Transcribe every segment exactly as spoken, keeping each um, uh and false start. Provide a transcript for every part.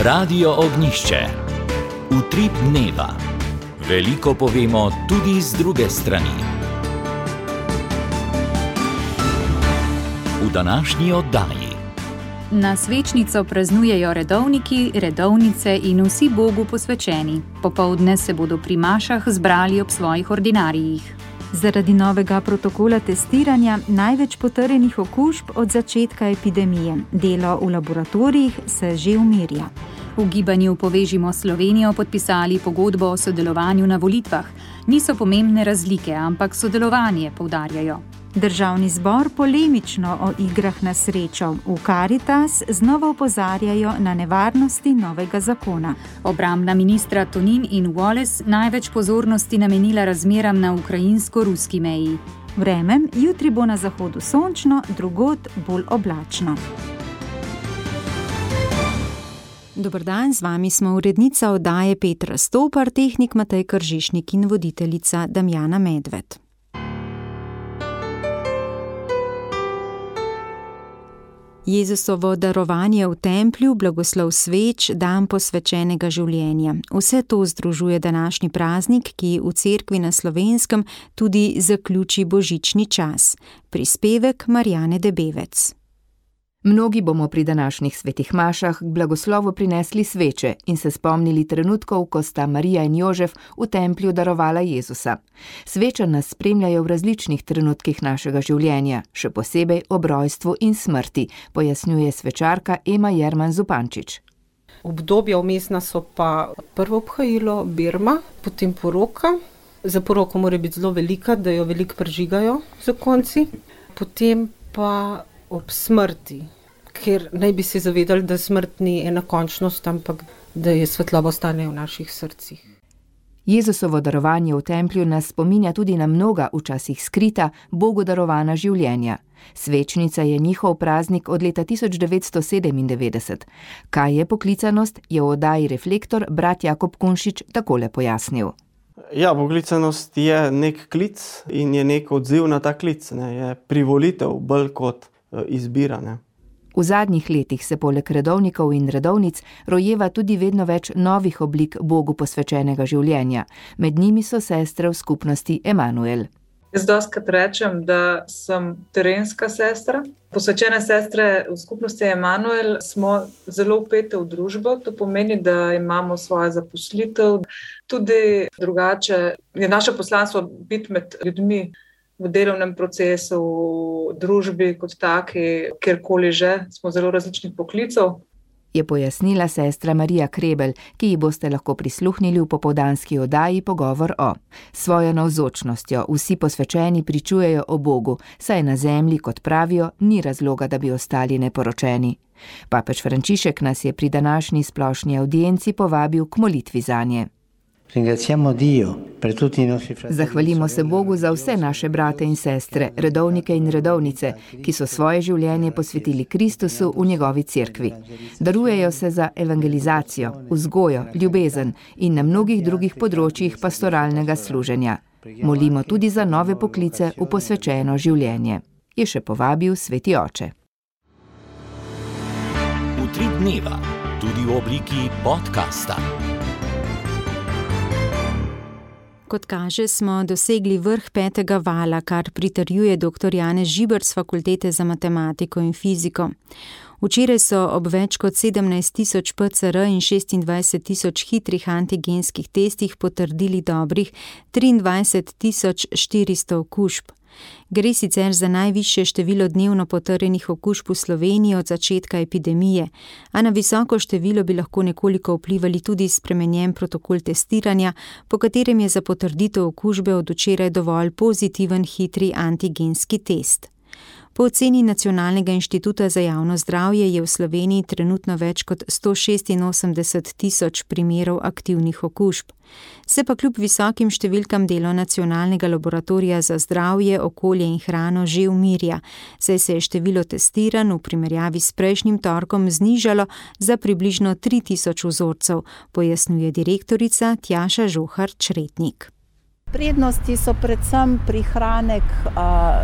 Radio Ognjišče. Utrip dneva. Veliko povemo tudi z druge strani. V današnji oddaji. Na svečnico praznujejo redovniki, redovnice in vsi Bogu posvečeni. Popoldne se bodo pri mašah zbrali ob svojih ordinarijih. Zaradi novega protokola testiranja največ potrjenih okužb od začetka epidemije. Delo v laboratorijih se že umirja. V gibanju Povežimo Slovenijo podpisali pogodbo o sodelovanju na volitvah. Niso pomembne razlike, ampak sodelovanje, poudarjajo. Državni zbor polemično o igrah na srečo. V Karitas znova opozarjajo na nevarnosti novega zakona. Obrambna ministra Tonin in Wallace največ pozornosti namenila razmeram na ukrajinsko-ruski meji. Vreme, jutri bo na zahodu sončno, drugod bolj oblačno. Dober dan, z vami smo urednica oddaje Petra Stopar, tehnik Matej Kržišnik in voditeljica Damjana Medved. Jezusovo darovanje v templju, blagoslov sveč, dan posvečenega življenja. Vse to združuje današnji praznik, ki v cerkvi na Slovenskem tudi zaključi božični čas. Prispevek Marjane Debevec. Mnogi bomo pri današnjih svetih mašah k blagoslovu prinesli sveče in se spomnili trenutkov, ko sta Marija in Jožef v templju darovala Jezusa. Sveče nas spremljajo v različnih trenutkih našega življenja, še posebej ob rojstvu in smrti, pojasnjuje svečarka Ema Jerman Zupančič. Obdobja vmesna so pa prvo obhajilo, birma, potem poroka. Za poroko mora biti zelo velika, da jo veliko prižigajo zakonci. Potem pa ob smrti, ker naj bi se zavedali, da smrt ni ena končnost, ampak da je svetloba ostane v naših srcih. Jezusovo darovanje v templju nas spominja tudi na mnoga, včasih skrita, Bogu darovana življenja. Svečnica je njihov praznik od leta tisoč devetsto sedemindevetdeset. Kaj je poklicanost, je v oddaji Reflektor brat Jakob Kunšič takole pojasnil. Ja, poklicanost je nek klic in je nek odziv na ta klic, ne, je privolitev bolj kot izbira, ne. V zadnjih letih se poleg redovnikov in redovnic rojeva tudi vedno več novih oblik Bogu posvečenega življenja. Med njimi so sestre v skupnosti Emanuel. Jaz dostikrat rečem, da sem terenska sestra. Posvečene sestre v skupnosti Emanuel smo zelo vpete v družbo. To pomeni, da imamo svojo zaposlitev. Tudi drugače je naše poslanstvo biti med ljudmi v delovnem procesu, v družbi kot taki, kjerkoli že, smo zelo različnih poklicev. Je pojasnila sestra Marija Krebel, ki ji boste lahko prisluhnili v popoldanski oddaji Pogovor o. Svojo navzočnostjo vsi posvečeni pričujejo o Bogu, saj na zemlji, kot pravijo, ni razloga, da bi ostali neporočeni. Papež Frančišek nas je pri današnji splošni avdienci povabil k molitvi zanje. Zahvalimo se Bogu za vse naše brate in sestre, redovnike in redovnice, ki so svoje življenje posvetili Kristusu v njegovi cerkvi. Darujejo se za evangelizacijo, vzgojo, ljubezen in na mnogih drugih področjih pastoralnega služenja. Molimo tudi za nove poklice v posvečeno življenje, je še povabil sveti oče. Utrip dneva, tudi v obliki podcasta. Kot kaže, smo dosegli vrh petega vala, kar pritrjuje doktor Janez Žiber z Fakultete za matematiko in fiziko. Včeraj so ob več kot sedemnajst tisoč P C R in šestindvajset tisoč hitrih antigenskih testih potrdili dobrih triindvajset tisoč štiristo okužb. Gre sicer za najvišje število dnevno potrjenih okužb v Sloveniji od začetka epidemije, a na visoko število bi lahko nekoliko vplivali tudi spremenjen protokol testiranja, po katerem je za potrditev okužbe od včeraj dovolj pozitiven hitri antigenski test. Po oceni Nacionalnega inštituta za javno zdravje je v Sloveniji trenutno več kot sto šestinosemdeset tisoč primerov aktivnih okužb. Se pa kljub visokim številkam delo Nacionalnega laboratorija za zdravje, okolje in hrano že umirja, saj se je število testiranj v primerjavi s prejšnjim torkom znižalo za približno tri tisoč vzorcev, pojasnjuje direktorica Tjaša Žohar Čretnik. Prednosti so predvsem prihranek uh,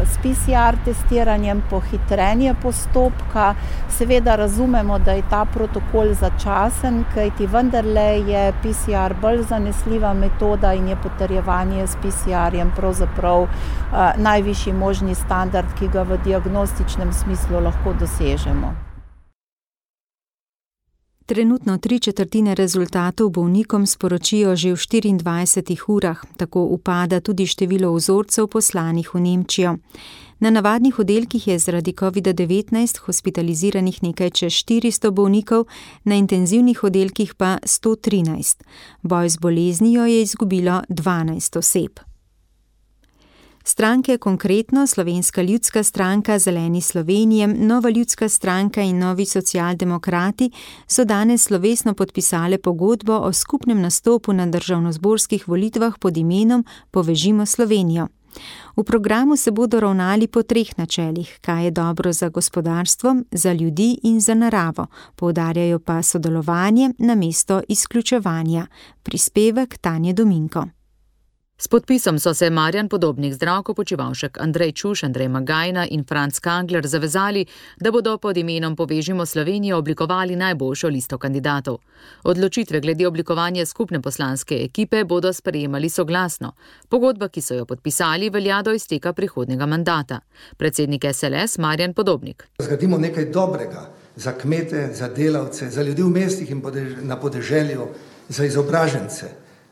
s P C R testiranjem, pohitrenje postopka. Seveda razumemo, da je ta protokol začasen, kajti vendarle je P C R bolj zanesljiva metoda in je potrjevanje s P C R-jem pravzaprav uh, najvišji možni standard, ki ga v diagnostičnem smislu lahko dosežemo. Trenutno tri četrtine rezultatov bolnikom sporočijo že v štiriindvajsetih urah, tako upada tudi število vzorcev poslanih v Nemčijo. Na navadnih oddelkih je zaradi covida devetnajst hospitaliziranih nekaj čez štiristo bolnikov, na intenzivnih oddelkih pa sto trinajst. Boj z boleznijo je izgubilo dvanajst oseb. Stranke Konkretno, Slovenska ljudska stranka, Zeleni Slovenije, Nova ljudska stranka in Novi socialdemokrati so danes slovesno podpisale pogodbo o skupnem nastopu na državnozborskih volitvah pod imenom Povežimo Slovenijo. V programu se bodo ravnali po treh načelih, kaj je dobro za gospodarstvo, za ljudi in za naravo, poudarjajo pa sodelovanje namesto izključevanja. Prispevek Tanje Dominko. S podpisom so se Marjan Podobnik, Zdravko Počivalšek, Andrej Čuš, Andrej Magajna in Franc Kangler zavezali, da bodo pod imenom Povežimo Slovenijo oblikovali najboljšo listo kandidatov. Odločitve glede oblikovanja skupne poslanske ekipe bodo sprejemali soglasno. Pogodba, ki so jo podpisali, velja do izteka prihodnjega mandata. Predsednik S L S Marjan Podobnik. Zgradimo nekaj dobrega za kmete, za delavce, za ljudi v mestih in na podeželju, za izobražence,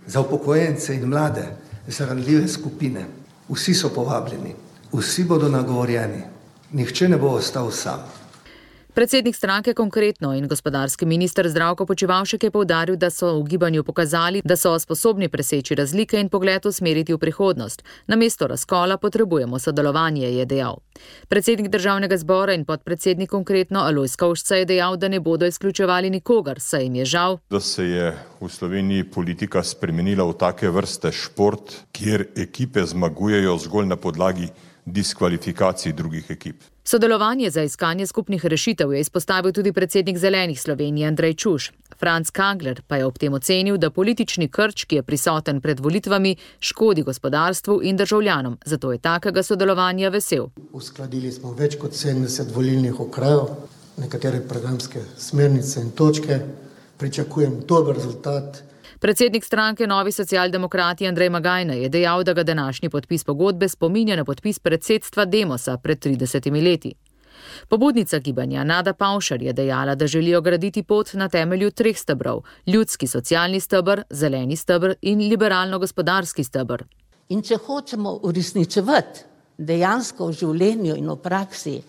za upokojence in mlade, za ranljive skupine. Vsi so povabljeni, vsi bodo nagovorjeni, nihče ne bo ostal sam. Predsednik stranke Konkretno in gospodarski minister Zdravko Počivalšek je poudaril, da so v gibanju pokazali, da so sposobni preseči razlike in pogled usmeriti v prihodnost. Namesto razkola potrebujemo sodelovanje, je dejal. Predsednik državnega zbora in podpredsednik Konkretno Alojz Kovšca je dejal, da ne bodo izključevali nikogar, saj jim je žal, da se je v Sloveniji politika spremenila v take vrste šport, kjer ekipe zmagujejo zgolj na podlagi diskvalifikacij drugih ekip. Sodelovanje za iskanje skupnih rešitev je izpostavil tudi predsednik Zelenih Slovenije Andrej Čuš. Franc Kangler pa je ob tem ocenil, da politični krč, ki je prisoten pred volitvami, škodi gospodarstvu in državljanom. Zato je takega sodelovanja vesel. Uskladili smo več kot sedemdeset volilnih okrajev, nekatere programske smernice in točke. Pričakujem dober rezultat. Predsednik stranke Novi socialdemokrati Andrej Magajna je dejal, da ga današnji podpis pogodbe spominja na podpis predsedstva Demosa pred tridesetimi leti. Pobudnica gibanja Nada Pavšar je dejala, da želijo graditi pot na temelju treh stebrov: ljudski socialni steber, zeleni steber in liberalno-gospodarski steber. In če hočemo uresničevati dejansko v življenju in v praksi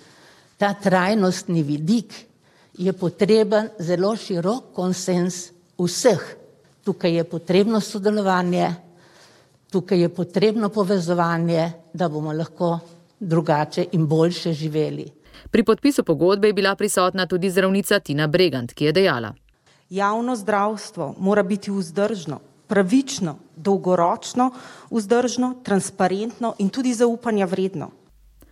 ta trajnostni vidik, je potreben zelo širok konsens vseh. Tukaj je potrebno sodelovanje, tukaj je potrebno povezovanje, da bomo lahko drugače in boljše živeli. Pri podpisu pogodbe je bila prisotna tudi zdravnica Tina Bregant, ki je dejala: Javno zdravstvo mora biti vzdržno, pravično, dolgoročno vzdržno, transparentno in tudi zaupanja vredno.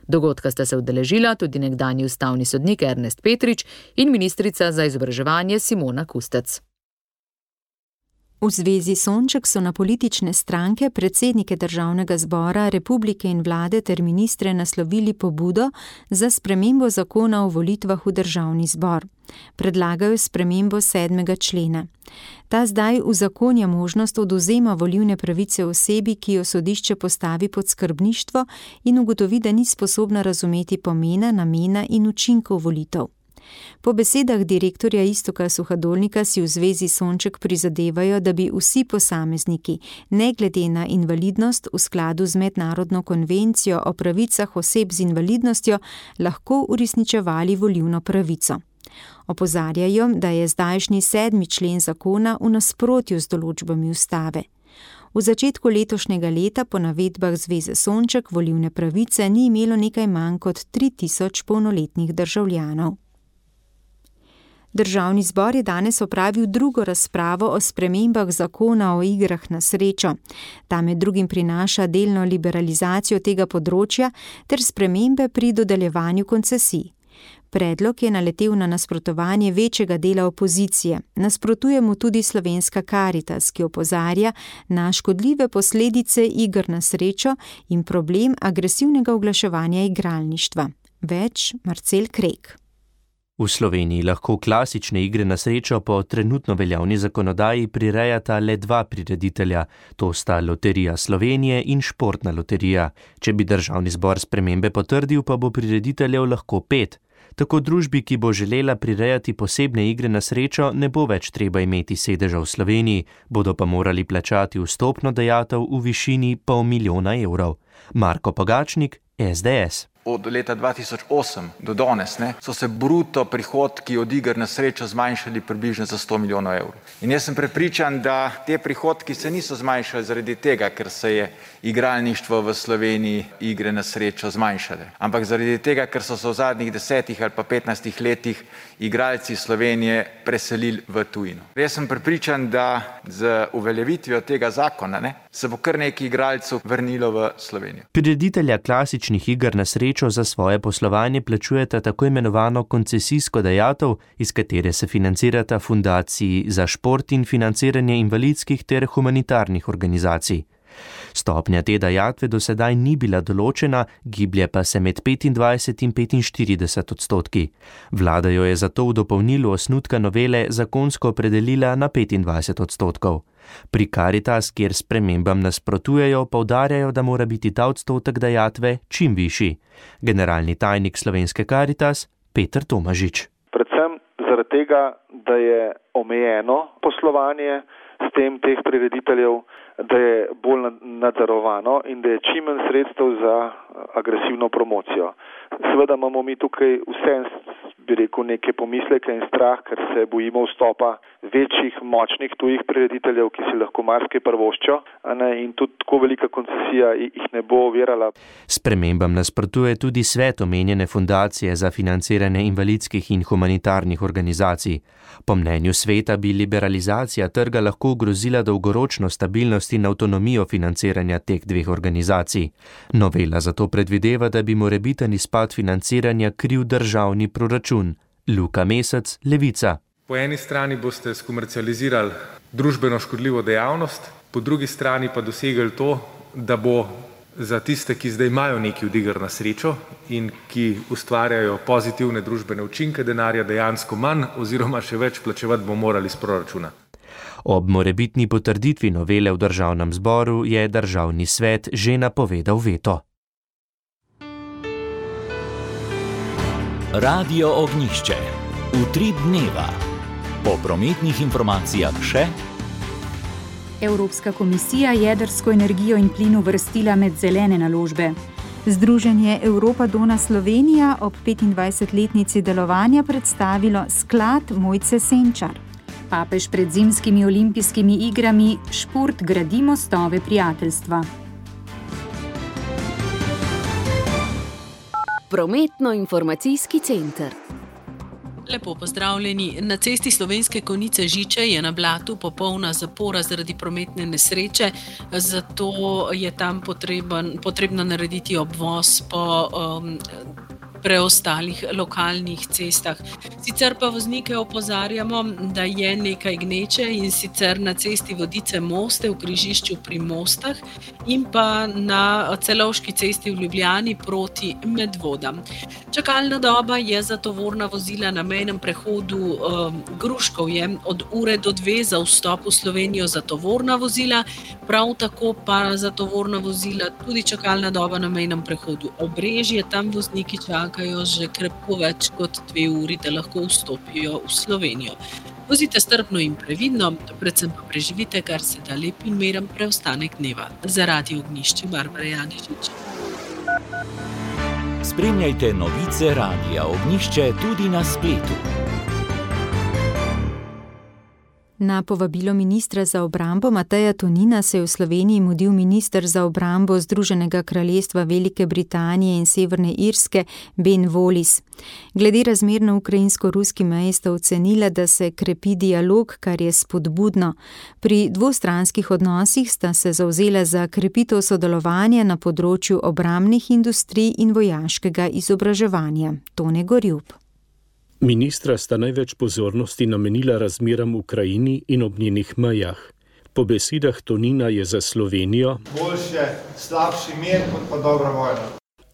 Dogodka sta se udeležila tudi nekdanji ustavni sodnik Ernest Petrič in ministrica za izobraževanje Simona Kustec. V zvezi Sonček so na politične stranke, predsednike državnega zbora, republike in vlade ter ministre naslovili pobudo za spremembo zakona o volitvah v državni zbor. Predlagajo spremembo sedmega člena. Ta zdaj uzakonja možnost odvzema volilne pravice osebi, ki jo sodišče postavi pod skrbništvo in ugotovi, da ni sposobna razumeti pomena, namena in učinkov volitev. Po besedah direktorja Iztoka Suhadolnika si v zvezi Sonček prizadevajo, da bi vsi posamezniki, ne glede na invalidnost, v skladu z mednarodno konvencijo o pravicah oseb z invalidnostjo, lahko uresničevali volilno pravico. Opozarjajo, da je zdajšnji sedmi člen zakona v nasprotju z določbami ustave. V začetku letošnjega leta po navedbah Zveze Sonček volilne pravice ni imelo nekaj manj kot tri tisoč polnoletnih državljanov. Državni zbor je danes opravil drugo razpravo o spremembah zakona o igrah na srečo. Ta med drugim prinaša delno liberalizacijo tega področja ter spremembe pri dodeljevanju koncesij. Predlog je naletel na nasprotovanje večjega dela opozicije. Nasprotuje mu tudi Slovenska Karitas, ki opozarja na škodljive posledice iger na srečo in problem agresivnega oglaševanja igralništva. Več Marcel Krek. V Sloveniji lahko klasične igre na srečo po trenutno veljavni zakonodaji prirejata le dva prireditelja, to sta Loterija Slovenije in Športna loterija. Če bi državni zbor spremembe potrdil, pa bo prirediteljev lahko pet. Tako družbi, ki bo želela prirejati posebne igre na srečo, ne bo več treba imeti sedeža v Sloveniji, bodo pa morali plačati vstopno dajatev v višini pol milijona evrov. Marko Pogačnik, es de es. Od leta dva tisoč osem do danes ne, so se bruto prihodki od iger na srečo zmanjšali približno za sto milijonov evrov. In jaz sem prepričan, da te prihodki se niso zmanjšali zaradi tega, ker se je igralništvo v Sloveniji igre na srečo zmanjšale, ampak zaradi tega, ker so se v zadnjih desetih ali pa petnajstih letih igralci Slovenije preselili v tujino. Jaz sem prepričan, da z uveljavitvijo tega zakona ne, se bo kar nekaj igralcev vrnilo v Slovenijo. Prireditelja klasičnih iger na srečo za svoje poslovanje plačujeta tako imenovano koncesijsko dajatev, iz katere se financirata fundaciji za šport in financiranje invalidskih ter humanitarnih organizacij. Stopnja te dajatve do sedaj ni bila določena, giblje pa se med petindvajset in petinštirideset odstotki. Vlada jo je zato v dopolnilu osnutka novele zakonsko opredelila na petindvajset odstotkov. Pri Karitas, kjer spremembam nasprotujejo, poudarjajo, da mora biti ta odstotek dajatve čim višji. Generalni tajnik Slovenske Karitas Peter Tomažič. Predvsem zaradi tega, da je omejeno poslovanje s tem teh prirediteljev, da je bolj nadzorovano in da je čim manj sredstev za agresivno promocijo. Seveda imamo mi tukaj vse, bi rekel, neke pomisleke in strah, ker se bojimo vstopa večjih, močnih tujih prirediteljev, ki si lahko marsikaj privoščijo, in tudi tako velika koncesija jih ne bo ovirala. Spremembam nasprotuje tudi svet omenjene fundacije za financiranje invalidskih in humanitarnih organizacij. Po mnenju sveta bi liberalizacija trga lahko ogrozila dolgoročno stabilnost in avtonomijo financiranja teh dveh organizacij. Novela zato predvideva, da bi morebiten izpad financiranja kriv državni proračun. Luka Mesec, Levica. Po eni strani boste skomercializirali družbeno škodljivo dejavnost, po drugi strani pa dosegli to, da bo za tiste, ki zdaj imajo nekaj od iger na srečo in ki ustvarjajo pozitivne družbene učinke, denarja dejansko manj oziroma še več plačevati bo morali iz proračuna. Ob morebitni potrditvi novele v državnem zboru je državni svet že napovedal veto. Radio Ognjišče. Utrip dneva. Po prometnih informacijah še. Evropska komisija jedrsko energijo in plin uvrstila med zelene naložbe. Združenje Europa Dona Slovenija ob petindvajsetletnici delovanja predstavilo sklad Mojce Senčar. Papež pred zimskimi olimpijskimi igrami Šport gradi mostove prijateljstva. Prometno-informacijski center. Lepo pozdravljeni. Na cesti Slovenske Konjice Žiče je na Blatu popolna zapora zaradi prometne nesreče, zato je tam potreben, potrebno narediti obvoz po um, preostalih lokalnih cestah. Sicer pa voznike opozarjamo, da je nekaj gneče in sicer na cesti Vodice Moste v križišču pri Mostah in pa na Celovški cesti v Ljubljani proti Medvodam. Čakalna doba je za tovorna vozila na mejnem prehodu um, Gruškovje od ure do dve za vstop v Slovenijo za tovorna vozila, prav tako pa za tovorna vozila tudi čakalna doba na mejnem prehodu Obrežje, tam vozniki čakajo že krepko več kot dve uri, da lahko vstopijo v Slovenijo. Vozite strpno in previdno, predvsem pa preživite kar se da lep in miren preostanek dneva. Za Radio Ognjišče Barbara Janežič. Spremljajte novice Radia Ognjišče tudi na spletu. Na povabilo ministra za obrambo Mateja Tonina se je v Sloveniji mudil minister za obrambo Združenega kraljestva Velike Britanije in Severne Irske Ben Wallace. Glede razmer na ukrajinsko-ruski meji sta ocenila, da se krepi dialog, kar je spodbudno. Pri dvostranskih odnosih sta se zavzela za krepitev sodelovanja na področju obrambnih industrij in vojaškega izobraževanja. Tone Gorjub. Ministra sta največ pozornosti namenila razmeram v Ukrajini in ob njenih mejah. Po besedah Tonina je za Slovenijo boljše slabši mir kot pa dobra vojna.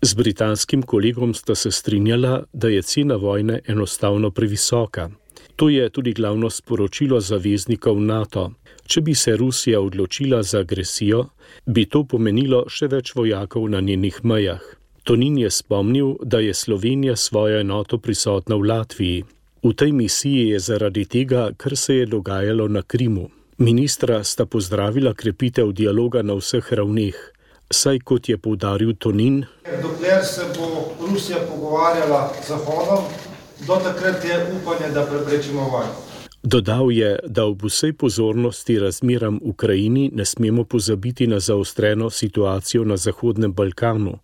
Z britanskim kolegom sta se strinjala, da je cena vojne enostavno previsoka. To je tudi glavno sporočilo zaveznikov NATO. Če bi se Rusija odločila za agresijo, bi to pomenilo še več vojakov na njenih mejah. Tonin je spomnil, da je Slovenija svojo enoto prisotna v Latviji. V tej misiji je zaradi tega, kar se je dogajalo na Krimu. Ministra sta pozdravila krepitev dialoga na vseh ravneh, saj kot je poudaril Tonin, dokler se bo Rusija pogovarjala z Zahodom, do takrat je upanje, da preprečimo vojno. Dodal je, da ob vsej pozornosti razmeram v Ukrajini ne smemo pozabiti na zaostreno situacijo na Zahodnem Balkanu,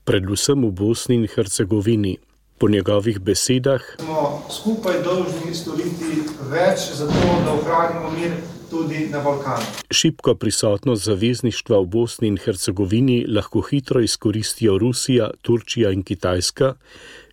predvsem v Bosni in Hercegovini. Po njegovih besedah smo skupaj dolžni storiti več za to, da ohranimo mir tudi na Balkanu. Šibko prisotnost zavezništva v Bosni in Hercegovini lahko hitro izkoristijo Rusija, Turčija in Kitajska,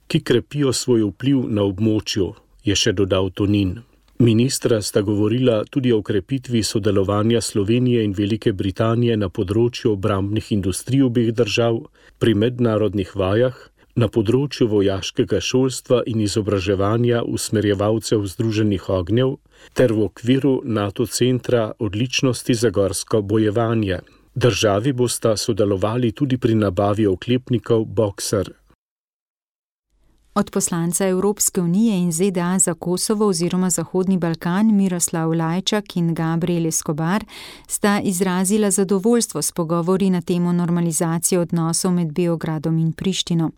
ki krepijo svoj vpliv na območju, je še dodal Tonin. Ministra sta govorila tudi o krepitvi sodelovanja Slovenije in Velike Britanije na področju obrambnih industrij obeh držav, pri mednarodnih vajah, na področju vojaškega šolstva in izobraževanja usmerjevalcev Združenih ognjev ter v okviru NATO centra odličnosti za gorsko bojevanje. Državi bosta sodelovali tudi pri nabavi oklepnikov Boxer. Od poslanca Evropske unije in Z D A za Kosovo oziroma Zahodni Balkan Miroslav Lajčak in Gabriel Escobar sta izrazila zadovoljstvo s pogovori na temo normalizacije odnosov med Beogradom in Prištino.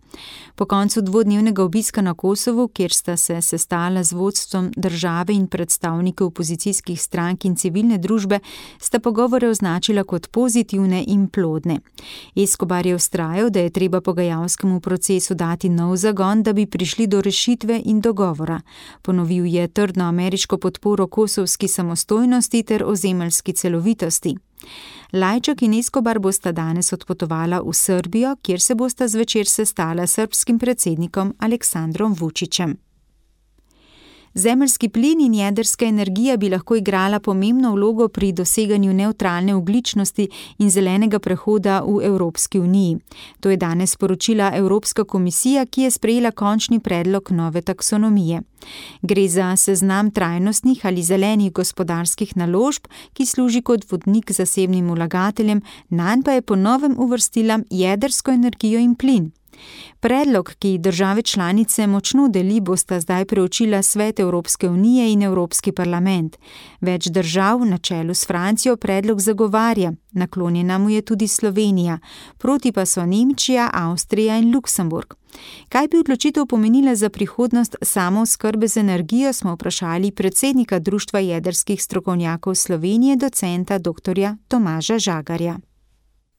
Po koncu dvodnevnega obiska na Kosovu, kjer sta se sestala z vodstvom države in predstavniki opozicijskih strank in civilne družbe, sta pogovore označila kot pozitivne in plodne. Escobar je vztrajal, da je treba pogajalskemu procesu dati nov zagon, da bi prišli do rešitve in dogovora. Ponovil je trdno ameriško podporo kosovski samostojnosti ter ozemeljski celovitosti. Lajčak in Escobar bosta danes odpotovala v Srbijo, kjer se bosta zvečer sestala s srbskim predsednikom Aleksandrom Vučićem. Zemeljski plin in jedrska energija bi lahko igrala pomembno vlogo pri doseganju nevtralne ogljičnosti in zelenega prehoda v Evropski uniji. To je danes sporočila Evropska komisija, ki je sprejela končni predlog nove taksonomije. Gre za seznam trajnostnih ali zelenih gospodarskih naložb, ki služi kot vodnik zasebnim vlagateljem, nanj pa je po novem uvrstila jedrsko energijo in plin. Predlog, ki države članice močno deli, bosta zdaj preučila Svet Evropske unije in Evropski parlament. Več držav na čelu s Francijo predlog zagovarja, naklonjena mu je tudi Slovenija, proti pa so Nemčija, Avstrija in Luksemburg. Kaj bi odločitev pomenila za prihodnost samooskrbe z energijo, smo vprašali predsednika Društva jedrskih strokovnjakov Slovenije, docenta doktorja Tomaža Žagarja.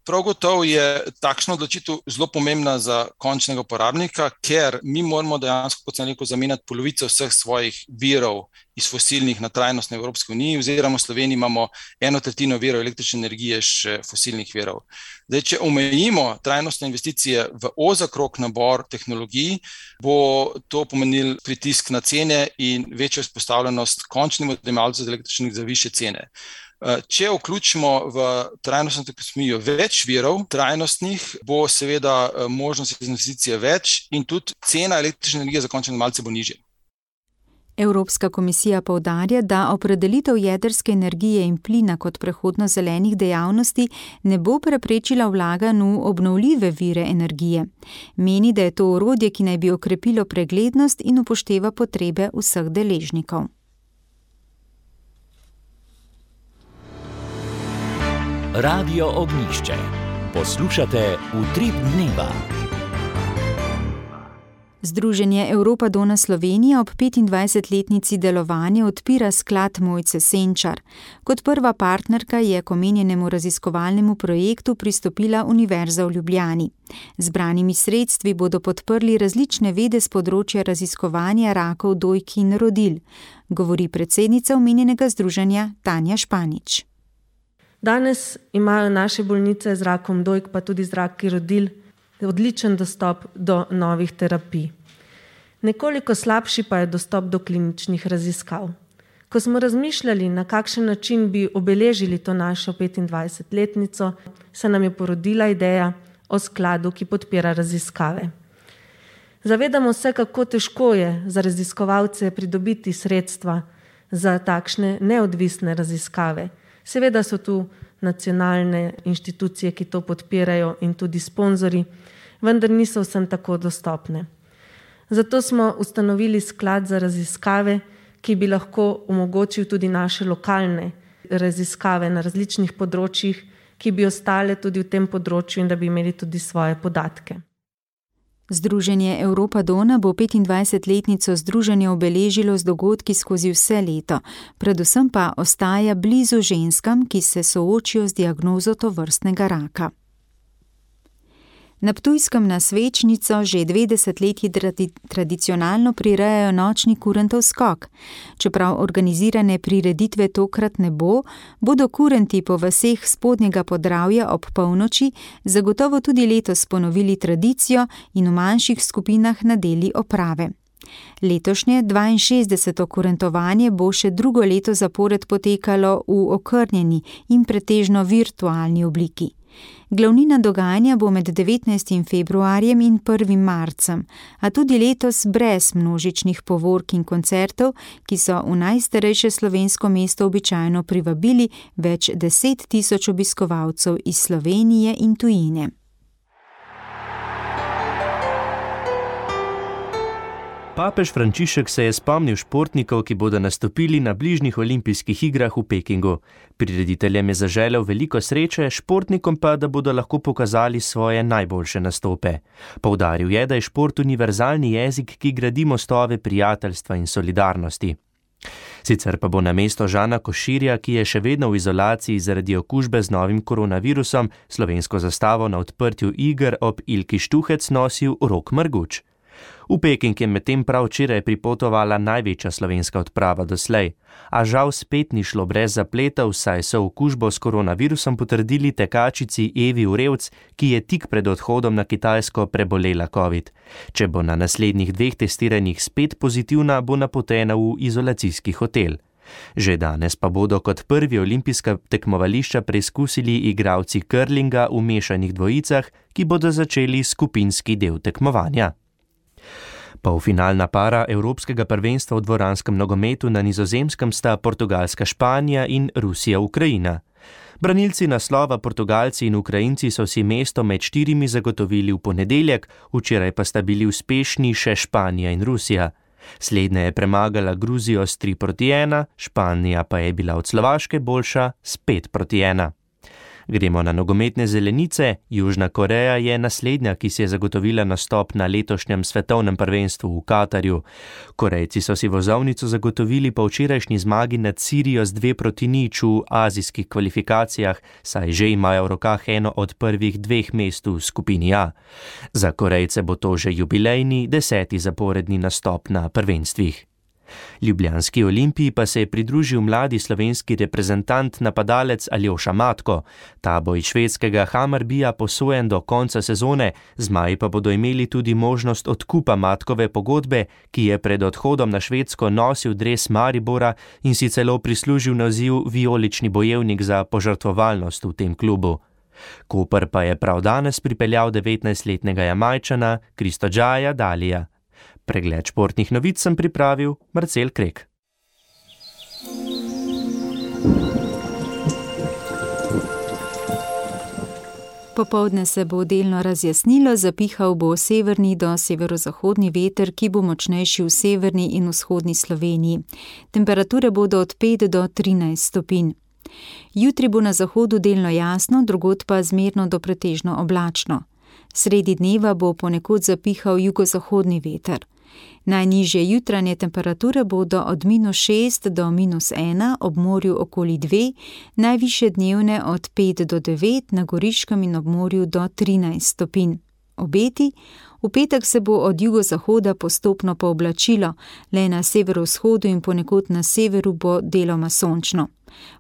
Prav gotovo je takšna odločitev zelo pomembna za končnega uporabnika, ker mi moramo dejansko, kot sem rekel, zamenjati polovico vseh svojih virov iz fosilnih na trajnostne Evropske unije, oziroma v Sloveniji imamo eno tretjino virov električne energije še fosilnih virov. Zdaj, če omejimo trajnostne investicije v ozak krog nabor tehnologij, bo to pomenil pritisk na cene in večjo izpostavljenost končnim odjemalcem električnih za višje cene. Če vključimo v trajnostno taksonomijo več virov trajnostnih, bo seveda možnost investicije več in tudi cena električne energije za končne odjemalce bo nižja. Evropska komisija poudarja, da opredelitev jedrske energije in plina kot prehodno zelenih dejavnosti ne bo preprečila vlaganj v obnovljive vire energije. Meni, da je to orodje, ki naj bi okrepilo preglednost in upošteva potrebe vseh deležnikov. Radio Ognjišče. Poslušate Utrip dneva. Združenje Europa Dona Slovenija ob petindvajsetletnici delovanja odpira sklad Mojce Senčar. Kot prva partnerka je k omenjenemu raziskovalnemu projektu pristopila Univerza v Ljubljani. Zbranimi sredstvi bodo podprli različne vede z področja raziskovanja rakov dojk in rodil, govori predsednica omenjenega združenja Tanja Španič. Danes imajo naše bolnice z rakom dojk, pa tudi z raki rodil, odličen dostop do novih terapij. Nekoliko slabši pa je dostop do kliničnih raziskav. Ko smo razmišljali, na kakšen način bi obeležili to našo petindvajsetletnico, se nam je porodila ideja o skladu, ki podpira raziskave. Zavedamo se, kako težko je za raziskovalce pridobiti sredstva za takšne neodvisne raziskave. Seveda so tu nacionalne inštitucije, ki to podpirajo in tudi sponzori, vendar niso vsem tako dostopne. Zato smo ustanovili sklad za raziskave, ki bi lahko omogočil tudi naše lokalne raziskave na različnih področjih, ki bi ostale tudi v tem področju in da bi imeli tudi svoje podatke. Združenje Europa Dona bo petindvajsetletnico združenja obeležilo z dogodki skozi vse leto, predvsem pa ostaja blizu ženskam, ki se soočijo z diagnozo tovrstnega raka. Na Ptujskem na Svečnico že dve desetletji tradi- tradicionalno prirejajo nočni kurentov skok. Čeprav organizirane prireditve tokrat ne bo, bodo kurenti po vaseh Spodnjega Podravja ob polnoči zagotovo tudi letos ponovili tradicijo in v manjših skupinah nadeli oprave. Letošnje dvainšestdeseto kurentovanje bo še drugo leto zapored potekalo v okrnjeni in pretežno virtualni obliki. Glavnina dogajanja bo med devetnajstim februarjem in prvim marcem, a tudi letos brez množičnih povork in koncertov, ki so v najstarejše slovensko mesto običajno privabili več deset tisoč obiskovalcev iz Slovenije in tujine. Papež Frančišek se je spomnil športnikov, ki bodo nastopili na bližnjih olimpijskih igrah v Pekingu. Prirediteljem je zaželel veliko sreče, športnikom pa, da bodo lahko pokazali svoje najboljše nastope. Poudaril je, da je šport univerzalni jezik, ki gradi mostove prijateljstva in solidarnosti. Sicer pa bo namesto Žana Koširja, ki je še vedno v izolaciji zaradi okužbe z novim koronavirusom, slovensko zastavo na odprtju iger ob Ilki Štuhec nosil Rok Marguč. V Peking je medtem prav včeraj pripotovala največja slovenska odprava doslej, a žal spet ni šlo brez zapletov, saj so okužbo s koronavirusom potrdili tekačici Evi Urevc, ki je tik pred odhodom na Kitajsko prebolela covid. Če bo na naslednjih dveh testiranjih spet pozitivna, bo napotena v izolacijski hotel. Že danes pa bodo kot prvi olimpijska tekmovališča preizkusili igralci curlinga v mešanih dvojicah, ki bodo začeli skupinski del tekmovanja. Polfinalna para Evropskega prvenstva v dvoranskem nogometu na Nizozemskem sta Portugalska Španija in Rusija Ukrajina. Branilci naslova Portugalci in Ukrajinci so si mesto med štirimi zagotovili v ponedeljek, včeraj pa sta bili uspešni še Španija in Rusija. Slednja je premagala Gruzijo s tri proti ena, Španija pa je bila od Slovaške boljša s pet proti ena. Gremo na nogometne zelenice. Južna Koreja je naslednja, ki si je zagotovila nastop na letošnjem svetovnem prvenstvu v Katarju. Korejci so si vozovnico zagotovili po včerajšnji zmagi nad Sirijo z dve proti nič v azijskih kvalifikacijah, saj že imajo v rokah eno od prvih dveh mest v skupini A. Za Korejce bo to že jubilejni deseti zaporedni nastop na prvenstvih. Ljubljanski Olimpiji pa se je pridružil mladi slovenski reprezentant napadalec Aljoša Matko. Ta bo iz švedskega Hammarbija posojen do konca sezone, zmaji pa bodo imeli tudi možnost odkupa Matkove pogodbe, ki je pred odhodom na Švedsko nosil dres Maribora in si celo prislužil naziv vijolični bojevnik za požrtvovalnost v tem klubu. Koper pa je prav danes pripeljal devetnajstletnega Jamajčana Kristodžaja Dalija. Pregled športnih novic sem pripravil Marcel Krek. Popoldne se bo delno razjasnilo, zapihal bo severni do severozahodni veter, ki bo močnejši v severni in vzhodni Sloveniji. Temperature bodo od pet do trinajst stopinj. Jutri bo na zahodu delno jasno, drugod pa zmerno do pretežno oblačno. Sredi dneva bo ponekod zapihal jugozahodni veter. Najnižje jutranje temperature bodo od minus šest do minus ena, ob morju okoli dve, najvišje dnevne od pet do devet, na Goriškem in ob morju do trinajst stopinj. Obeti: v petek se bo od jugozahoda postopno pooblačilo, le na severovzhodu in ponekod na severu bo deloma sončno.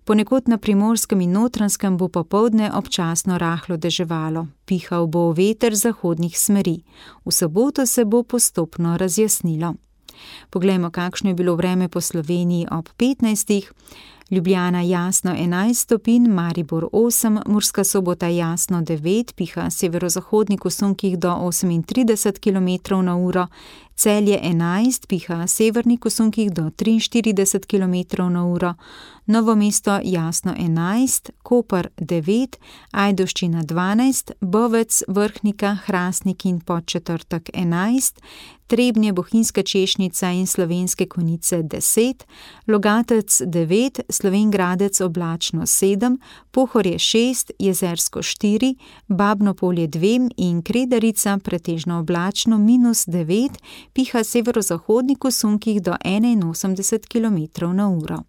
Ponekod na Primorskem in Notranjskem bo popoldne občasno rahlo deževalo. Pihal bo veter zahodnih smeri. V soboto se bo postopno razjasnilo. Poglejmo, kakšno je bilo vreme po Sloveniji ob petnajstih. Ljubljana jasno enajst stopinj, Maribor osem, Murska Sobota jasno devet, piha severozahodnik v sunkih do osemintrideset kilometrov na uro, Celje enajst, piha severnik v sunkih do triinštirideset kilometrov na uro, Novo mesto jasno enajst, Koper devet, Ajdovščina dvanajst, Bovec, Vrhnika, Hrastnik in Podčetrtek enajst, Trebnje, Bohinjska Češnica in Slovenske Konjice deset, Logatec devet, Slovenj Gradec oblačno sedem, Pohorje šest, Jezersko štiri, Babno Polje dve in Kredarica pretežno oblačno minus devet, piha severozahodnik v sunkih do enainosemdeset kilometrov na uro.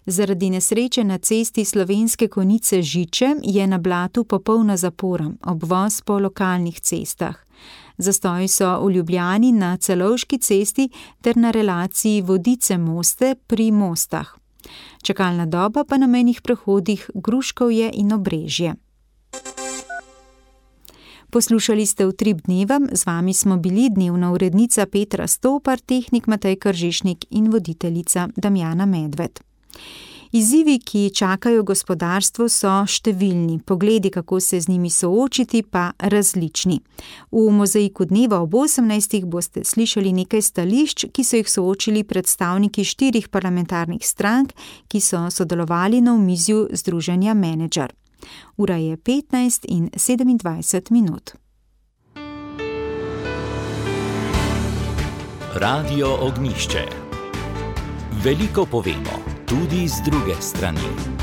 Zaradi nesreče na cesti Slovenske Konjice Žiče je na Blatu popolna zapora, obvoz po lokalnih cestah. Zastoji so v Ljubljani na Celovški cesti ter na relaciji Vodice-Moste pri Mostah. Čakalna doba pa na mejnih prehodih Gruškovje in Obrežje. Poslušali ste Utrip dneva, z vami smo bili dnevna urednica Petra Stopar, tehnik Matej Kržišnik in voditeljica Damjana Medved. Izzivi, ki čakajo gospodarstvo, so številni, pogledi, kako se z njimi soočiti, pa različni. V Mozaiku dneva ob osemnajstih boste slišali nekaj stališč, ki so jih soočili predstavniki štirih parlamentarnih strank, ki so sodelovali na omizju združenja Menedžer. Ura je petnajst in sedemindvajset minut. Radio Ognjišče. Veliko povemo, tudi z druge strani.